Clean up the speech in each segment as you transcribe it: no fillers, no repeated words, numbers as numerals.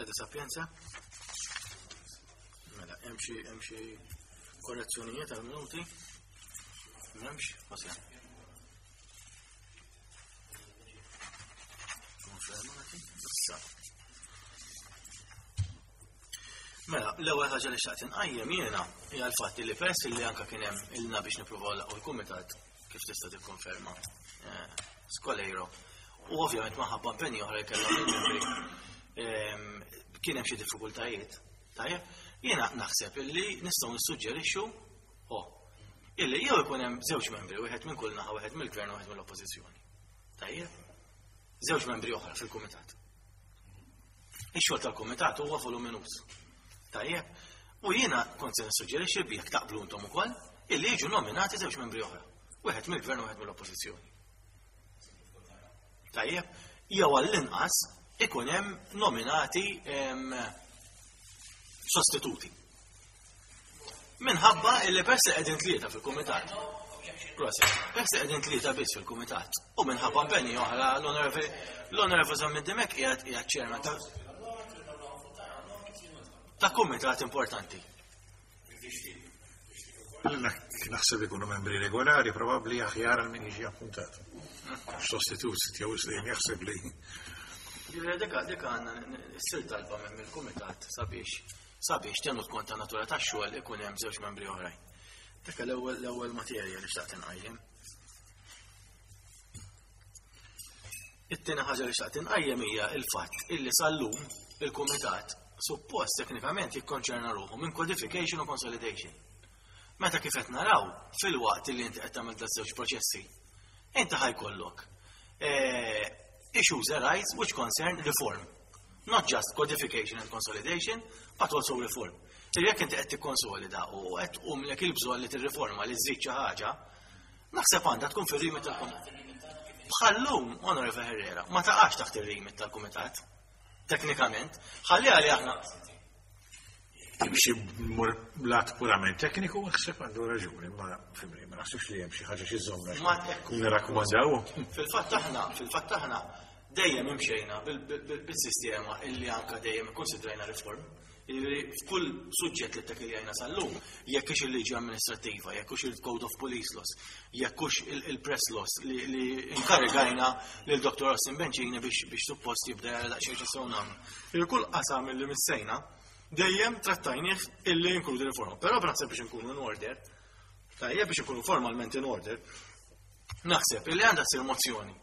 Sede Sapienza. Mela, hemm xi hemm xi korrezzjonijiet għal minuti? M'hemmx, Jose. Konfermati. Issa. Mela, l-ewwel ħaġa li xtaqt inqajjem jiena hija l-fatt li peress li anke kien hemm ilna biex nippruvaw laqgħu l-kumitat kif tista' tikkonferma eh, Skolejro. U ovvjament maħabba impenji oħra li kellhom il-membri ehm, kien hemm xi diffikultajiet. Tajjeb, jiena naħseb illi nistgħu nissuġġerixxu oh, illi jew ikun hemm żewġ membri, wieħed minn kull naħa, wieħed mill-gvern u wieħed mill-oppożizzjoni. Tajjeb, żewġ membri oħra fil-kumitat. Ix-xogħol tal-kumitat huwa voluminuż. Tajjeb, u jiena kont se nissuġġerixxi bi jekk taqblu intom ukoll illi jiġu nominati żewġ membri oħra. Wieħed mill-gvern u wieħed mill-oppożizzjoni. Tajjeb, jew għall-inqas ikun hemm nominati sostituti. Minħabba illi peress li qegħdin tlieta fil-kumitat. Proset. Peress li qegħdin tlieta biss fil-kumitat. U minħabba impenji oħra l-Onorevoli Zammit Dimek qiegħed qiegħed chairman ta' ta' kumitat importanti. Naħseb ikunu membri regolari, probabbli aħjar għal min jiġi appuntat. Sostitut jew dejjem jaħseb li. Dik dik għandna ssir talba minn mill-kumitat sabiex sabiex tenut kont ta' natura tax-xogħol ikun hemm żewġ membri oħrajn. Dik l-ewwel l-ewwel materja li xtaqt inqajjem. It-tieni ħaġa li xtaqt inqajjem hija l-fatt illi sal-lum il-kumitat suppost teknikament jikkonċerna ruħu minn codification u consolidation. Meta kif qed naraw fil-waqt li inti qed tagħmel daż-żewġ proċessi, inti ħajkollok eh, issues arise which concern reform. Not just codification and consolidation, but also reform. Jekk inti qed tikkonsolida u qed tqumlek il-bżonn li tirriforma li żżid xi ħaġa, naħseb għandha tkun fir-remit tal-kumitat. Bħallum, Onorevole Herrera, ma taqax taħt ir-remit tal-kumitat. Teknikament, ħalli għali aħna. Timxi mur lat purament tekniku, naħseb għandu raġuni, ma fimni, ma naħsibx li hemm xi ħaġa xi żomna. Ma ekku. Nirrakkomandaw. Fil-fatt aħna, fil-fatt aħna dejjem imxejna bil-sistema illi anka dejjem ikkonsidrajna riform. Jiġifieri f'kull suġġett li ttakkiljajna sal-lum, jekk hux il-liġi amministrattiva, jekk hux il-Code of Police Laws, jekk hux il-Press Laws li inkarigajna lil Dr. Austin Bencini biex suppost jibda jara daqsxejn x'nistgħu nagħmlu. Jiġifieri kull qasam illi missejna dejjem trattajnih illi jinkludi riforma. Però naħseb biex inkunu in order, tajjeb biex inkunu formalment in order, naħseb illi għandha ssir mozzjoni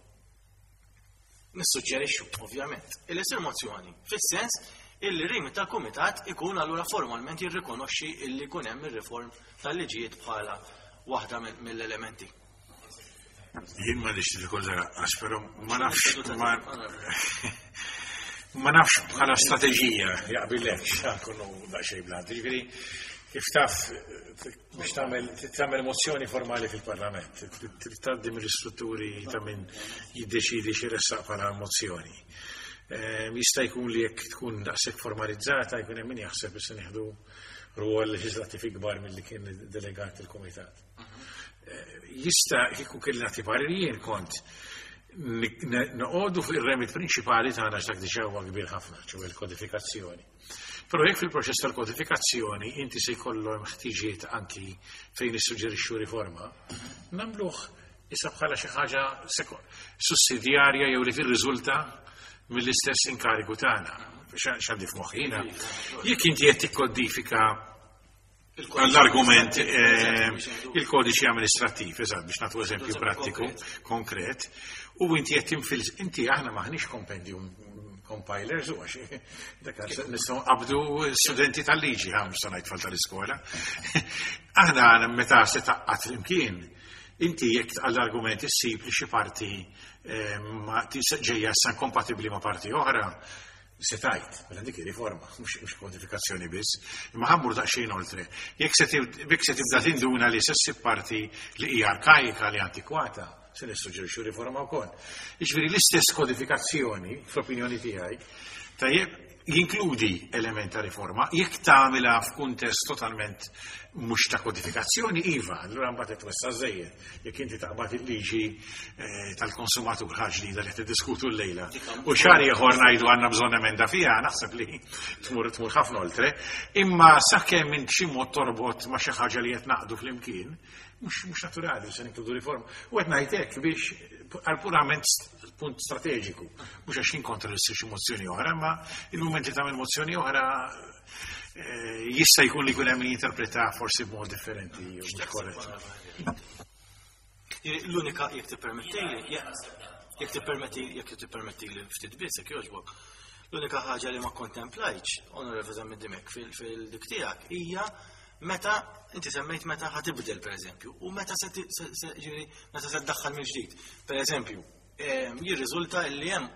Nissuġġerixxu, ovvjament, illi ssir mozzjoni fis-sens illi r-remit tal-Kumitat ikun allura formalment jirrikonoxxi illi jkun hemm ir-reform tal-liġijiet bħala waħda mill-elementi. Jien ma nix diffikultà lanqas, però ma nafx ma ma nafx bħala strateġija jaqbilekx nkunu daqsxejn blant. Jiġifieri kif taf biex tagħmel tagħmel mozzjoni formali fil-Parlament, trid tgħaddi mill-istrutturi ta' min jiddeċidi xi ressaq bħala mozzjoni. Ehm, jista' jkun li jekk tkun daqshekk formalizzata jkun hemm min jaħseb li se nieħdu rwol leġislattiv ikbar milli kien delegat il-kumitat. Eh, jista' kieku kelli nagħti parir jien kont noqogħdu fuq ir-remit prinċipali tagħna x'dak diġà huwa kbir ħafna, ċew il-kodifikazzjoni. Però jekk fil-proċess tal-kodifikazzjoni inti se jkollhom ħtiġiet anki fejn nissuġġerixxu riforma, nagħmluh issa bħala xi ħaġa sussidjarja jew li tirriżulta mill-istess inkarigu tagħna. X'għandi f'moħħi jiena? Jekk inti qed tikkodifika L-argument eh, il-kodiċi amministrattiv, eżatt, biex nagħtu eżempju prattiku, konkret, u inti qed tinfil inti aħna maħniex compendium compilers u għax dak nistgħu qabdu studenti tal-liġi ħa mhux ngħid tfal tal-iskola. Aħna meta se taqqat flimkien, inti jekk għall-argument issib li xi parti eh, ma ġejja issa kompatibbli ma' parti oħra, Se tgħid, mela dik hi riforma, mhux kodifikazzjoni biss, imma ħammur daqsxejn oltre. Jekk se jekk se tibda tinduna li se ssib parti li hija arkajika li antikwata, se nissuġġerixxu riforma wkoll. Jiġifieri l-istess kodifikazzjoni, fl-opinjoni tiegħi, tajjeb, Jinkludi element ta' riforma, jekk tagħmilha f'kuntest totalment mhux ta' kodifikazzjoni, iva, allura mbagħad qed twessa' żejjed. Jekk inti taqbad il-liġi eh, tal-konsumatur ħaġa ġdida li qed tiddiskutu llejla. U xahar ieħor ngħidu għandna bżonn emenda fiha, naħseb li tmur tmur ħafna oltre, imma sakemm int xi mod torbot ma' xi ħaġa li qed naqdu flimkien, mhux naturali se ninkludu riforma. U qed ngħid hekk biex għal purament punt strateġiku, mhux għax kontra li xi mozzjoni oħra, imma il-mument li tagħmel mozzjoni oħra eh, jista' jkun li jkun hemm min jinterpreta forsi b'mod differenti jew mhux korrett. L-unika jekk tippermettili, jekk tippermetti, jekk tippermettili ftit biss jekk jogħġbok. L-unika ħaġa li ma kontemplajtx, Onorevoli Zammit Dimech, fil-dik tiegħek hija meta inti semmejt meta ħa tibdel pereżempju u meta se ġifieri meta se ddaħħal mill-ġdid. Pereżempju, jirriżulta li hemm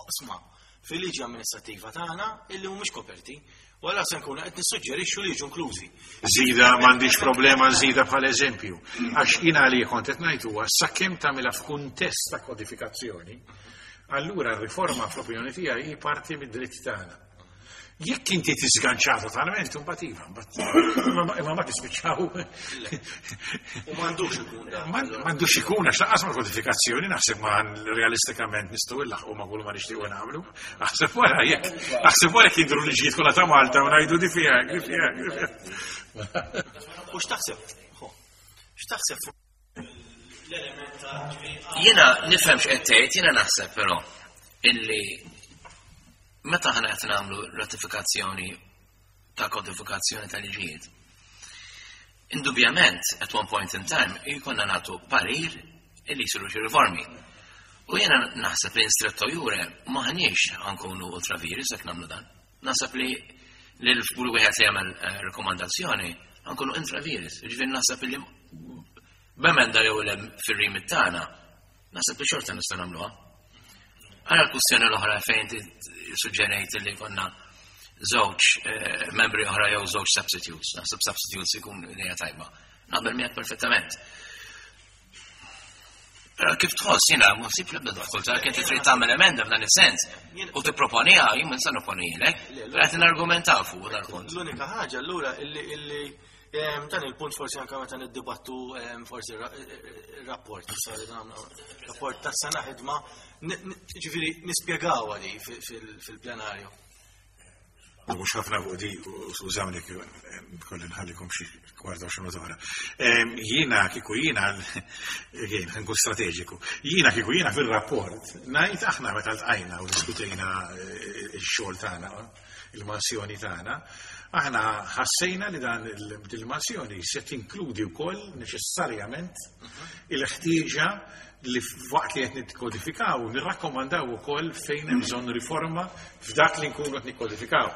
oqsma fil-liġi amministrattiva tagħna illi mhumiex koperti. U allura se nkunu qed nissuġġerixxu li jiġu inklużi. Żida m'għandix problema nżida bħala eżempju. Għax jiena li kont qed ngħid huwa sakemm tagħmilha f'kuntest ta' kodifikazzjoni, allura r-riforma fl-opinjoni tiegħi hi parti mid-dritt tagħna. Jekk inti tiżganċa totalment, imbagħad iva, mbagħad imma ma tispiċċaw. U m'għandux ikun dan. M'għandux ikun għax lanqas mal-kodifikazzjoni naħseb ma realistikament nistgħu nlaħqu ma' kull ma nixtiequ nagħmlu. Aħseb wara jekk aħseb wara jekk jidhru liġijiet kollha ta' Malta u ngħidu di fiha, di fiha, di fiha. U x'taħseb? X'taħseb fuq l-element ta' Jiena nifhem x'qed tgħid, jiena naħseb però illi Meta aħna qed nagħmlu ratifikazzjoni ta' kodifikazzjoni ta' liġijiet, indubjament at one point in time jkollna nagħtu parir illi jsiru xi riformi. U jiena naħseb li in stretto jure m'aħniex ħankunu ultra vires jekk nagħmlu dan. Naħseb li li kull wieħed li jagħmel eh, rekomandazzjoni ħankunu intra vires. Ġifieri naħseb li b'emenda jew le fir-remit tagħna Naħseb li xorta nistgħu nagħmluha. Għara l-kwistjoni l-oħra fejn suġġerejt li konna żewġ eh, membri oħra jew żewġ substitutes. Naħseb substitutes ikun idea tajba. Naqbel miegħek perfettament. Però kif tħoss jiena ma nsib l-ebda diffikultà kien trid tagħmel emenda f'dan is-sens u tipproponiha jien ma nista' nopponilek, però qed nargumentaw fuq dal-punt. L-unika ħaġa allura illi Dan il-punt forsi anka meta niddibattu forsi rapport rapport ta' sena ħidma, ġifieri nispjegawha li fil-plenarju. Mhux ħafna fuq di, skużawni kolli nħallikom xi kwarta xi oħra. Jiena kieku jiena jien nkun strateġiku. Jiena kieku jiena fil-rapport ngħid aħna meta ltqajna u diskutejna eh, x-xogħol tagħna il-mansjoni tagħna, aħna ħassejna li dan il-mansjoni se tinkludi wkoll neċessarjament il-ħtieġa li waqt li qed nikkodifikaw nirrakkomandaw ukoll fejn hemm bżonn riforma f'dak li nkunu qed nikkodifikaw.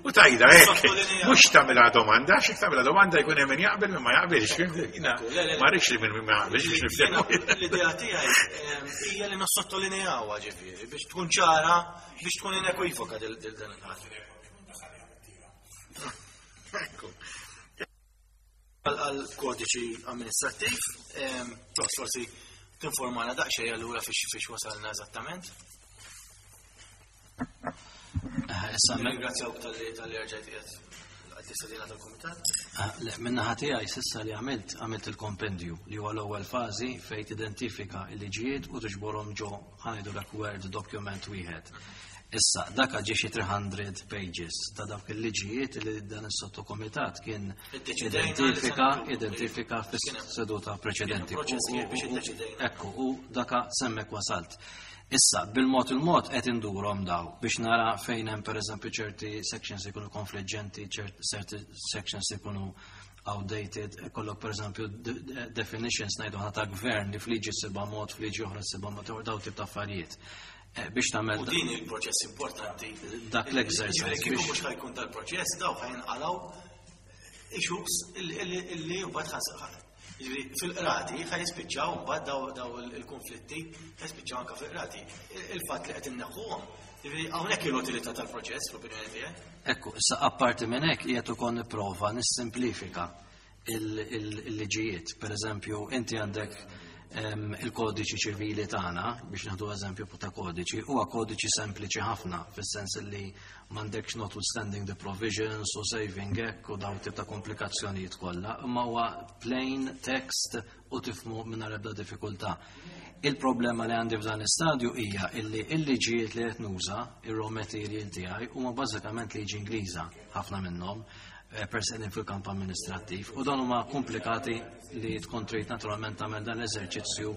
U tajda hekk, mhux tagħmilha domanda, x'jekk tagħmilha domanda jkun hemm min jaqbel min ma jaqbilx. Ma rridx li min ma jaqbilx biex niftehmu. L-idea tiegħi hija li nossottolinejawha ġifieri biex tkun ċara Biex tkun inekwivoka dil dan il-ħaġa. Ekku. Għal kodiċi amministrattiv, tos forsi tinformana daqsxejn allura fiex wasalna eżattament. Eh, issa, ringrazzjawk tal-li tal-li rġajt qiegħed l-istadina tal-komitat. Ah, le, minna tiegħi sissa li għamilt, għamilt il-kompendju li huwa l-ewwel fażi fejn tidentifika l-liġijiet u tiġborhom ġo ħa ngħidulek Word document wieħed. Issa, dak ġie xi 300 pages ta' dawk il-liġijiet li dan is-sottokomitat kien identifika identifika fis-seduta preċedenti. Ekku, u daka semmek wasalt. Issa, bil-mod il-mod qed indurhom daw biex nara fejn hemm pereżempju ċerti sections ikunu konfliġġenti, ċerti sections ikunu outdated, ikollok per eżempju definitions ngħidu ħana ta' gvern li fliġi sibha mod, fliġi oħra sibha mod, daw tip ta' affarijiet. Eh, biex tagħmel. U din il-proċess importanti. Dak l-exercise. Kieku mhux ħajkun dal-proċess, daw ħajnqalgħu issues illi mbagħad fil-qrati ħaj jispiċċaw mbagħad daw il-konflitti ħaj jispiċċaw anke fil-qrati. Il-fatt li qed inneħħuhom, hawnhekk l-utilità tal-proċess fl-opinjoni tiegħek. Ekku, issa apparti minn hekk qiegħed ukoll nipprova nissimplifika il-liġijiet. Per eżempju, inti għandek Il-kodiċi ċivili tagħna, biex nieħdu eżempju ta' kodiċi, huwa kodiċi sempliċi ħafna, fis-sens li m'għandekx notwithstanding the provisions u saving hekk u dawn tip ta' komplikazzjonijiet kollha, imma huwa plain text u tifhmu mingħajr ebda diffikultà. Il-problema li għandi f'dan l-istadju hija illi il-liġijiet li qed nuża, ir-raw material tiegħi, huma bażikament liġi Ingliża, ħafna minnhom, peress qegħdin fil-kamp amministrattiv, u dawn huma komplikati li tkun trid naturalment tagħmel dan l-eżerċizzju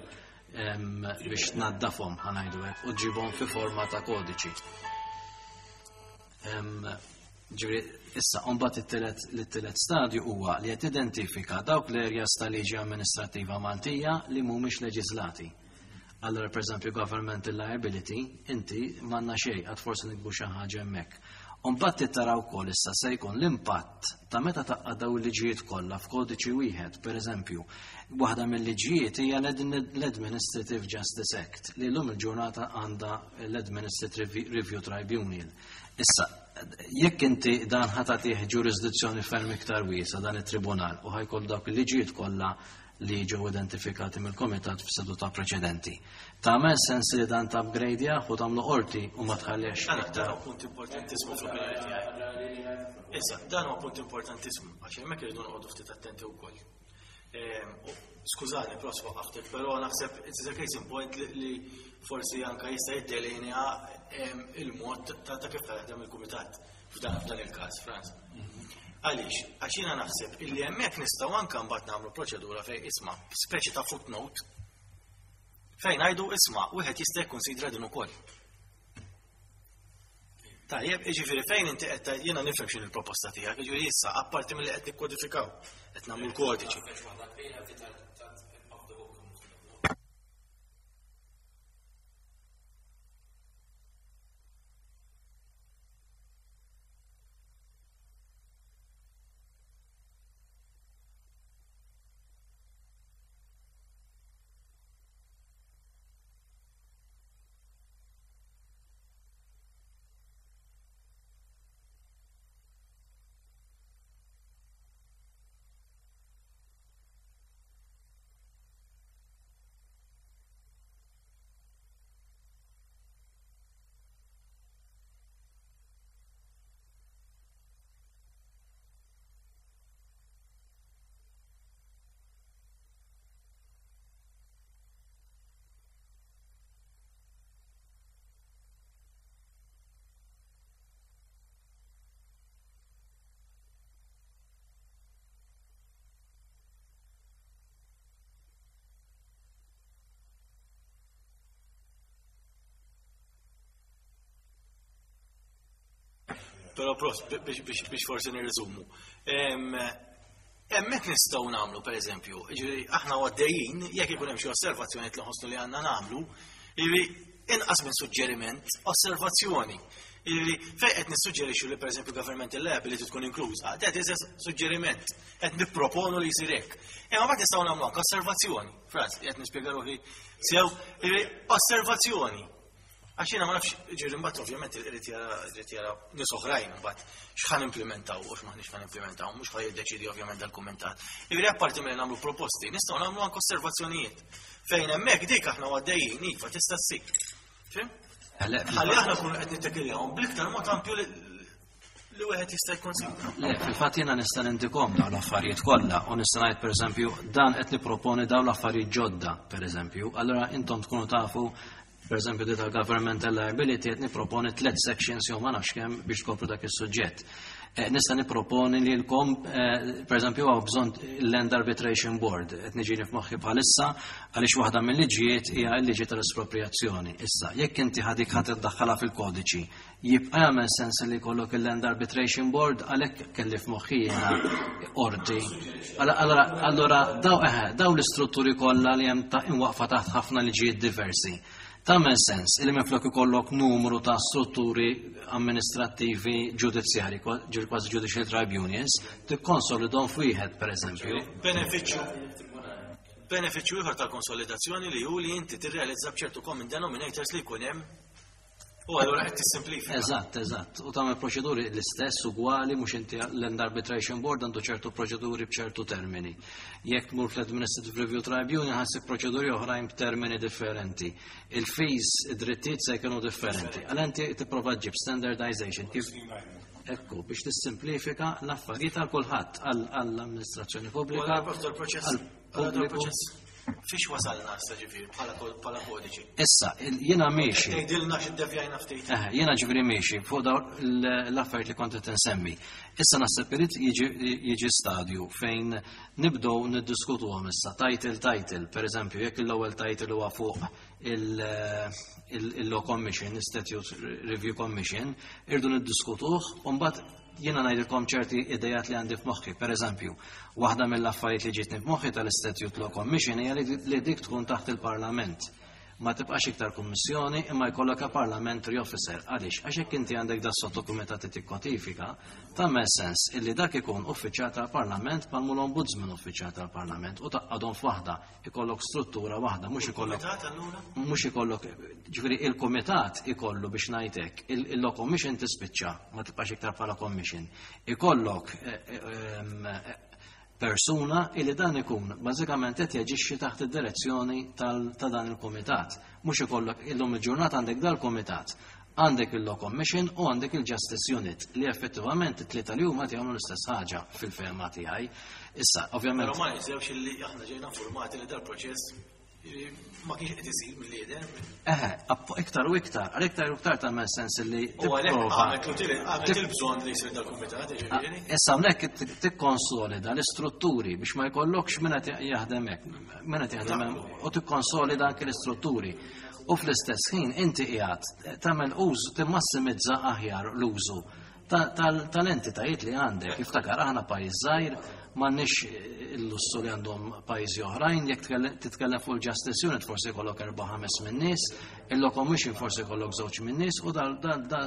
biex tnaddafhom, ħa ngħidu hekk, u ġibhom fi forma ta' kodiċi. Ġifieri, issa, mbagħad it-tielet stadju huwa li qed identifika dawk l-areas ta' liġi amministrattiva Maltija li mhumiex leġislati. Allora, per eżempju, governmental liability, inti m'għandna xejn, għad forsi nikbu xi ħaġa hemmhekk. Mbagħad tara wkoll issa se jkun l-impatt ta' meta taqqa' daw il-liġijiet kollha f'kodiċi wieħed, per eżempju, waħda mill-liġijiet hija l-Administrative Justice Act li llum il-ġurnata għandha l-Administrative Review Tribunal. Issa, jekk inti dan ħa tagħtih ġurisdizzjoni ferm iktar wiesa dan it-tribunal u ħa jkollu dawk il-liġijiet kollha li ġew identifikati mill-komitat f'seduta preċedenti. Tagħmel sens li dan ta' upgrade u tagħmlu qorti u ma tħallix iktar. Dan huwa punt importantissimu fl-opinjoni tiegħi. Issa, dan huwa punt importantissimu għax hemmhekk irridu noqogħdu ftit attenti wkoll. Skużani, pros waqaftek, però naħseb it's a case in point li forsi anka jista' jiddelinea il-mod ta' kif taħdem il-kumitat f'dan il-każ, Franz. Għaliex, għax jiena naħseb illi hemmhekk nistgħu anke mbagħad nagħmlu proċedura fejn isma' speċi ta' footnote fejn ngħidu isma' wieħed jista' jikkonsidra din ukoll. Tajjeb, jiġifieri fejn inti qed jiena nifhem x'in il-proposta tiegħek, jiġifieri issa apparti milli qed nikkodifikaw, qed nagħmlu l-kodiċi. Però pros, biex forsi nirriżumu. Hemmhekk nistgħu nagħmlu, pereżempju, jiġifieri aħna għaddejjin, jekk ikun hemm xi osservazzjoni li nħossu li għandna nagħmlu, jiġifieri inqas minn suġġeriment, osservazzjoni. Jiġifieri fejn qed nissuġġerixxu li pereżempju governmental liability tkun inkluża, that is a suġġeriment, qed nipproponu li jsir hekk. Imma mbagħad nistgħu nagħmlu anke osservazzjoni. Franz, qed nispjega ruħi sew, jiġifieri osservazzjoni. Għax jiena ma nafx, ġifieri mbagħad ovvjament irid jara irid jara nies oħrajn mbagħad x'ħan implementaw u x'maħniex ħan implementaw, mhux ħa jiddeċidi ovvjament dal-kumentat. Jiġifieri apparti milli nagħmlu proposti, nistgħu nagħmlu anke osservazzjonijiet. Fejn hemmhekk dik aħna għaddejjin iva tista' ssir. Fim? Ħalli aħna nkunu qed nittekiljahom bl-iktar mod ampju li wieħed jista' jikkonsidra. Le, fil-fatt jiena nista' nindikom dawn l-affarijiet kollha u nista' ngħid pereżempju dan qed nipproponi dawn l-affarijiet ġodda, pereżempju, allura intom tkunu tafu pereżempju di tal-governmental liability qed nipproponi tliet sections jew ma nafx kemm biex tkopru dak is-suġġett. Nista' nipproponi li lkom pereżempju hawn bżonn Land Arbitration Board qed niġini f'moħħi bħalissa għaliex waħda mill-liġijiet hija l-liġi tal-espropriazzjoni. Issa, jekk inti ħadik ħadd iddaħħalha fil-kodiċi, jibqa' jagħmel sens li jkollok il-Land Arbitration Board għalhekk kelli f'moħħi jiena qorti. Allora daw l-istrutturi kollha li hemm ta' imwaqfa taħt ħafna liġijiet diversi. Tagħmel sens li minflok ikollok numru ta' strutturi amministrattivi ġudizzjari, ġifieri kważi judicial tribunals, tikkonsolidhom f'wieħed pereżempju. Benefiċċju ieħor tal-konsolidazzjoni li hu li inti tirrealizza b'ċertu common denominators li jkun hemm. U allura qed tissimplifika. Eżatt, eżatt. U tagħmel proċeduri l-istess ugwali mhux inti l-Land Arbitration Board għandu ċertu proċeduri b'ċertu termini. Jekk tmur fl-Administrative Review Tribunal ħassib proċeduri oħrajn b'termini differenti. Il-fees, id-drittijiet se jkunu differenti. Għal inti tipprova ġib standardization kif Ekku, biex tissimplifika l-affarijiet għal kulħadd għall-amministrazzjoni U pubblika. allura prof dal-proċess, allura għall-pubbliku. dal-proċess fiex wasalna issa ġifieri bħala kodiċi. Issa, jiena miexi. Tgħidilna x'iddevjajna ftit. Jiena ġifieri miexi fuq dawn l-affarijiet li kont qed insemmi. Issa naħseb irid jiġi stadju fejn nibdew niddiskutuhom issa title title, per eżempju, jekk l-ewwel title huwa fuq il-Law Commission, il-Statute Review Commission, irdu niddiskutuh u mbagħad jiena ngħidilkom ċerti idejat li għandi f'moħħi. Per eżempju, waħda mill-affarijiet li ġietni f'moħħi tal-Statute Law Commission hija li dik tkun taħt il-Parlament. Ma tibqax iktar kummissjoni imma jkollok a parliamentary officer. Għaliex? Għax jekk inti għandek da sottokumitat li tikkodifika, tagħmel sens illi dak ikun uffiċjal tal-Parlament bħal l-Ombudsman uffiċjal tal-Parlament u taqgħadhom f'waħda, ikollok struttura waħda, mhux ikollok Kumitat allura? mhux ikollok, ġifieri il-kumitat ikollu biex ngħidlek, il-law commission tispiċċa, ma tibqax iktar bħala commission. Ikollok persuna illi dan ikun bażikament qed jaġixxi taħt id-direzzjoni ta' dan il-kumitat. Mhux ikollok illum il-ġurnata għandek dal-kumitat, għandek il-Law Commission u għandek il-Justice Unit li effettivament it-tlieta li huma jagħmlu l-istess ħaġa fil-fehma tiegħi. Issa, ovvjament. Però ma ninsewx illi aħna ġejna informati li dal-proċess ma kienx qed isir mill-lider. Eħe, iktar u iktar, għal iktar u iktar tagħmel sens li U għalhekk tipprova. għamet l-utili, għamet il-bżonn li jsir dal-kumitat, ġifieri. Issa hawnhekk tikkonsolida l-istrutturi biex ma jkollokx min qed jaħdem hekk, min qed jaħdem hemm, u tikkonsolida anke l-istrutturi. U fl-istess ħin inti qiegħed tagħmel użu, timmassimizza aħjar l-użu tal-entitajiet li għandek. Iftakar aħna pajjiż żgħir, m'għandniex il-lussu li għandhom pajjiżi oħrajn, jekk titkellem fuq il-Justice Unit forsi jkollok 4-5 minn nies, il-Law Commission forsi jkollok 2 minn nies, u dal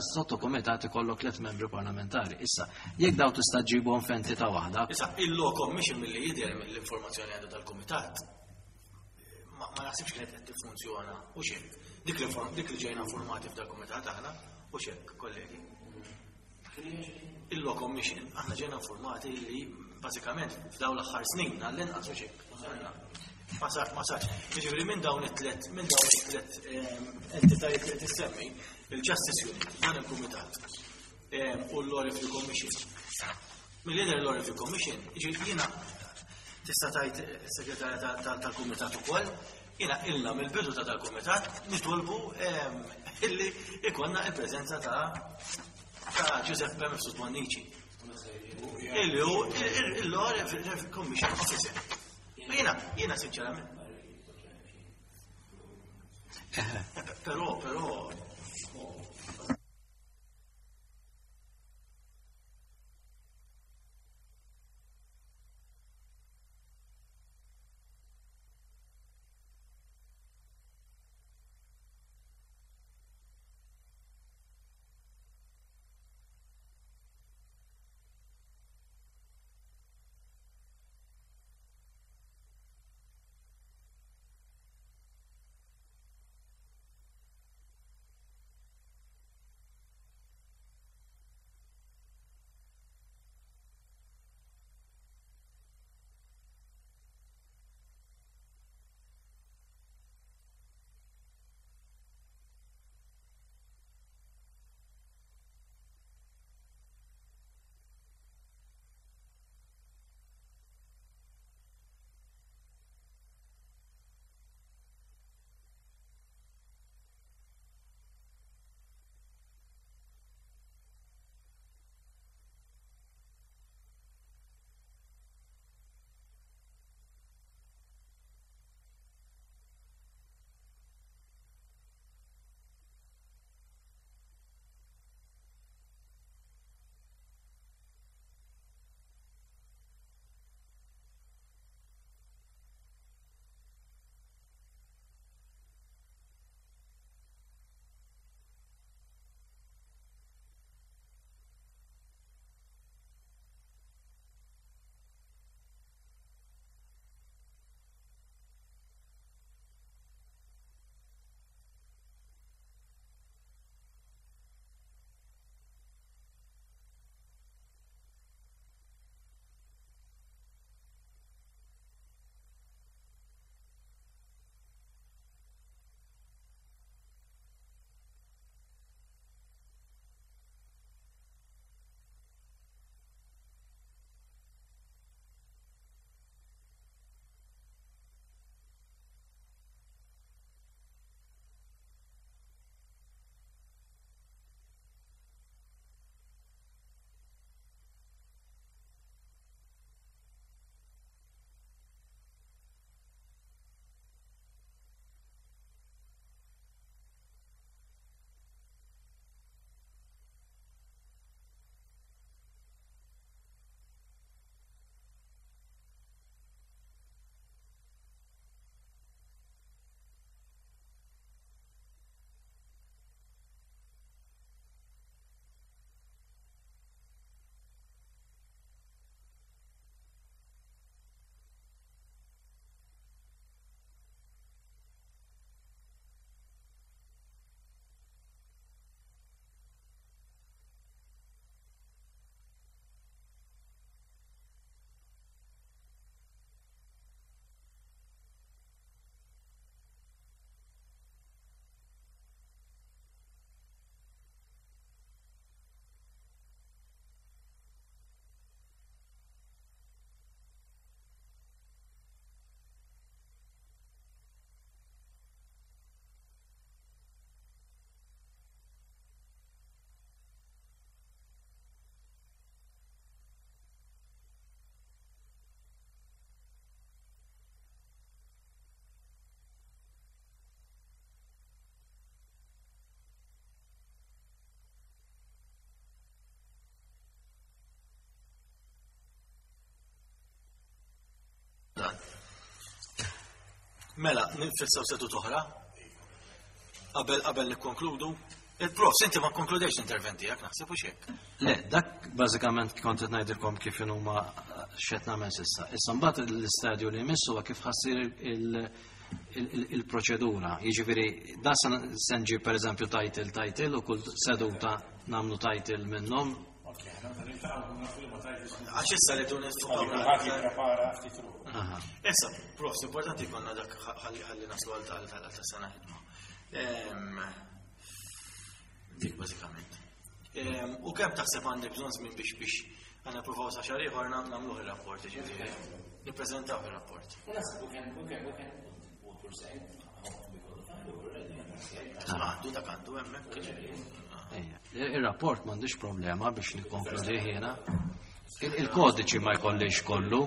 sottokumitat ikollok 3 membri parlamentari. Issa, jekk daw tista' ġibhom f'entità waħda. Issa, il-Law Commission milli jidher mill-informazzjoni għandu tal-kumitat, ma naħsibx kienet qed tiffunzjona u xejn. Dik li ġejna informati f'dal-kumitat aħna u xejn, kollegi. Il-Law Commission, aħna ġejna informati li bażikament f'dawn l-aħħar snin għall-inqas u xejn. Ma sarx, ma sarx. Jiġifieri minn dawn it-tlet, minn dawn it-tlet entitajiet li qed issemmi, il-Justice Unit, dan il-Kumitat u l-Law Review Commission. Mill-lider l-Law Review Commission, jiġifieri jiena tista' tgħid segretarja tal-Kumitat ukoll, jiena ilna mill-bidu ta' dal-Kumitat nitolbu illi ikonna il-preżenza ta' Giuseppe Mifsud Bonnici. Illi hu il-Law Review Commission Officer. Ma jiena sinċerament. Però, però. Mela, nifissaw seduta oħra? Qabel qabel nikkonkludu? Il-prof, inti ma konkludejx l-intervent tiegħek naħseb u xek. Le, dak bażikament kont qed ngħidilkom kif huma x'qed nagħmel s'issa. Issa mbagħad l-istadju li jmiss huwa kif ħassir il-proċedura. Jiġifieri da se nġib pereżempju title title u kull seduta nagħmlu title minnhom. Għax issa li dun Issa, prof, importanti konna dak ħalli naslu għal tal sena ħidma. Dik bażikament. U kemm taħseb għandek bżonn żmien biex biex għandna provaw sa xahar ieħor nagħmluh ir-rapport, ġifieri nippreżentaw ir-rapport. Għandu dak għandu hemmhekk. Ir-rapport m'għandix problema biex nikkonkludi jiena. Il-kodiċi ma jkollix kollu.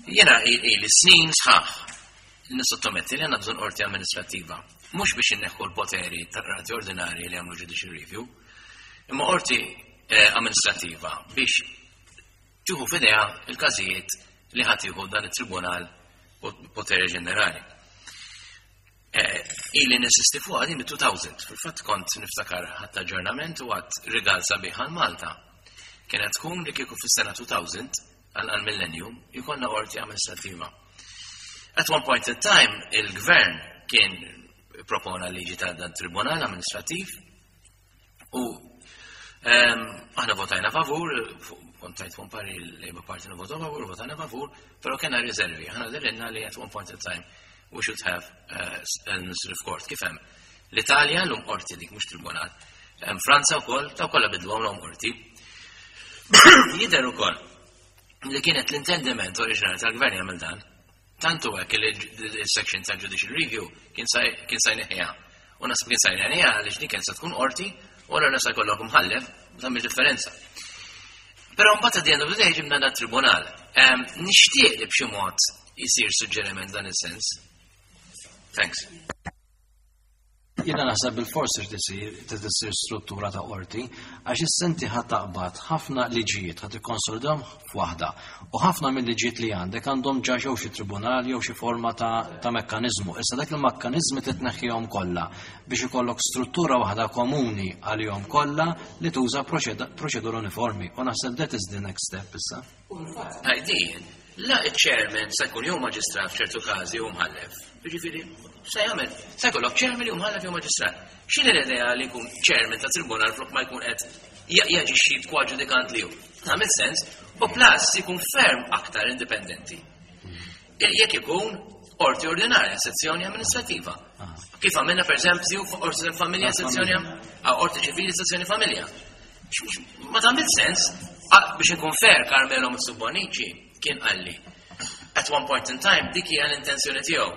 Jena ili snin sħaħ nissottometti li għandna bżonn qorti amministrattiva. Mhux biex inneħħu l-poteri tal-qrati ordinari li għamlu judicial review, imma qorti eh, amministrattiva biex tieħu f'idejha il-każijiet li ħadd jieħu dan it-tribunal poteri ġenerali. Eh, ili ninsisti fuq din mit-2000, fil-fatt kont niftakar ħadd aġġornament u għad rigal sabiħ għal Malta. Kienet tkun li kieku fis-sena 2000 għal millennium jkollna qorti amministrattiva. At one point in time, il-gvern kien propona liġi ta' dan tribunal amministrativ u ehm, aħna votajna favur, kontajt fuq pari l-Labour Party votaw favur, votajna favur, pero kena riservi. Aħna dirinna li at one point in time we should have uh, administrative court. Kif hemm? L-Italja l-um qorti dik mhux tribunal. Hemm Franza wkoll ta' kollha bidlu l-um qorti. Jidher ukoll li kienet l-intendiment oriġinali tal-gvern jagħmel dan. Tantu hekk li l-section ta' judicial review kien sa jneħħiha. U nasib kien sa jneħħiha għaliex dik kien se tkun qorti u allura sa jkollok mħallef u tagħmel differenza. Però mbagħad at the end of the day ġibna dat tribunal. Nixtieq li b'xi mod jisir suġġeriment dan is-sens. Thanks. Jiena naħseb bil-fors trid isir trid issir struttura ta' qorti għax issa inti ħa taqbad ħafna liġijiet ħa tikkonsolidahom f'waħda u ħafna mill-liġijiet li għandek għandhom ġa jew xi tribunal jew xi forma ta', ta mekkaniżmu. Issa dak il-mekkaniżmi trid tneħħihom kollha biex ikollok struttura waħda komuni għalihom kollha li tuża proċedura uniformi u naħseb that is the next step issa. Għajdin, la il-chairman se jkun jew maġistrat f'ċertu każi jew mħallef. Jiġifieri, se jagħmel, se jkollok chairman jew mħallef jew maġistrat. X'inhi l-idea li jkun chairman ta' tribunal flok ma jkun qed jaġixxi kwaġudikant li hu? Tagħmel sens u plus jkun ferm aktar indipendenti. Jekk ikun qorti ordinarja, sezzjoni amministrativa. Kif għamilna per eżempju qorti tal-familja, sezzjoni qorti ċivili, sezzjoni familja. Ma tagħmel sens biex inkun fair Carmelo Mitsubonici kien qalli. At one point in time dik hija l-intenzjoni tiegħu.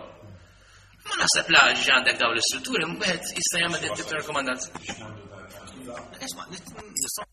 Ma naħseb la ġi għandek dawn l-istrutturi, wieħed jista' jagħmel din tip ta' rakkomandazzjoni. Isma' nistgħu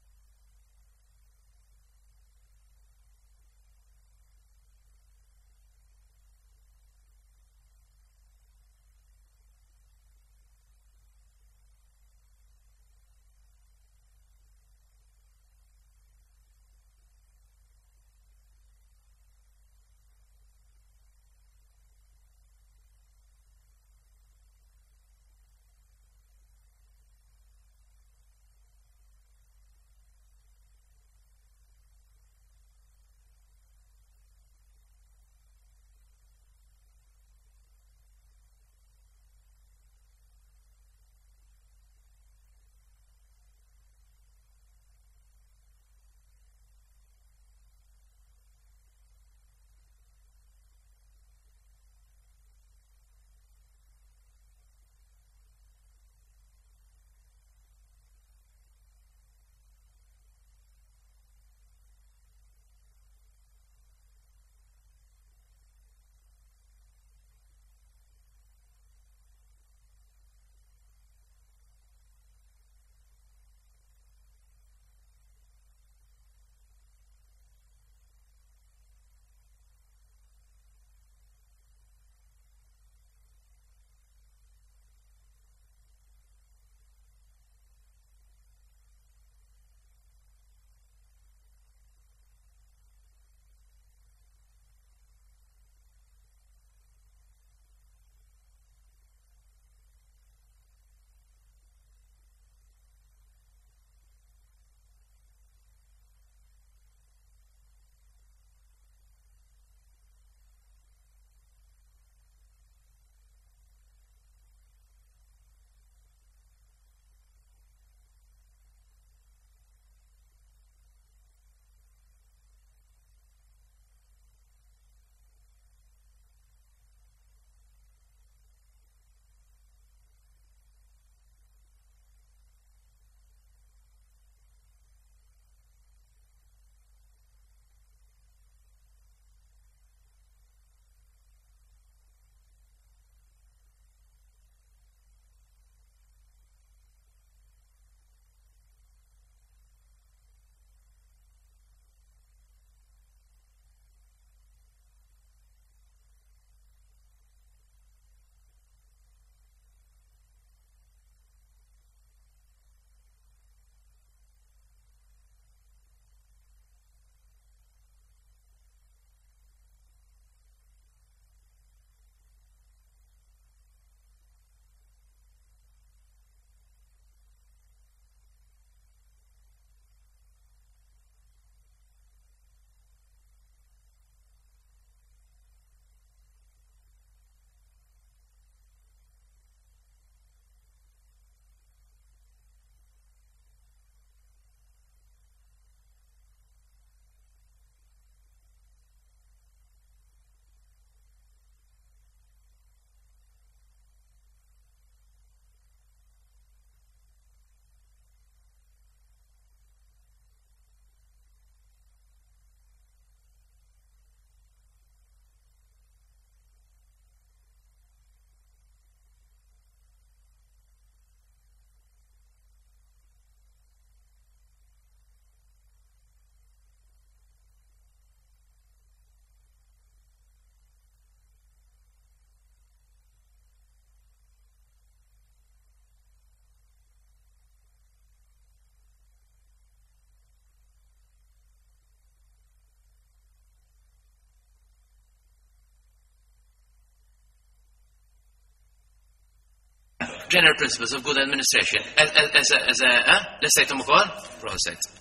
General Principles of Good Administration. As, as, as a, eh? Lestejtum ukoll? Proset.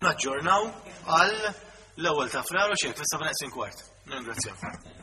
Naġġornaw għal l-ewwel ta' Frar u xejn fis-7 kwart. Ningrazzjaw.